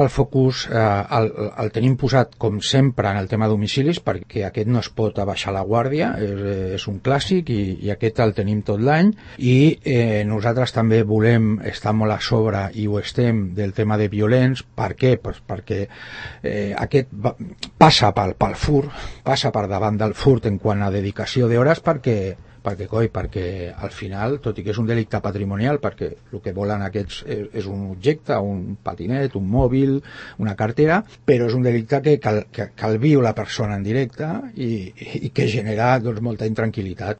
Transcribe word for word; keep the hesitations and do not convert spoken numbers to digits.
El focus eh, el, el tenim posat, com sempre, en el tema domicilis, perquè aquest no es pot abaixar la guàrdia, és, és un clàssic i, i aquest el tenim tot l'any, i eh, nosaltres també volem estar molt a sobre, i ho estem, del tema de violents. Per què? Pues perquè eh, aquest va, passa pel, pel furt, passa per davant del furt en quant a dedicació d'hores, perquè perquè, coi, perquè al final, tot i que és un delicte patrimonial, perquè el que volen aquests és, és un objecte, un patinet, un mòbil, una cartera, però és un delicte que cal, que, que el viu la persona en directe i, i que genera doncs, molta intranquil·litat.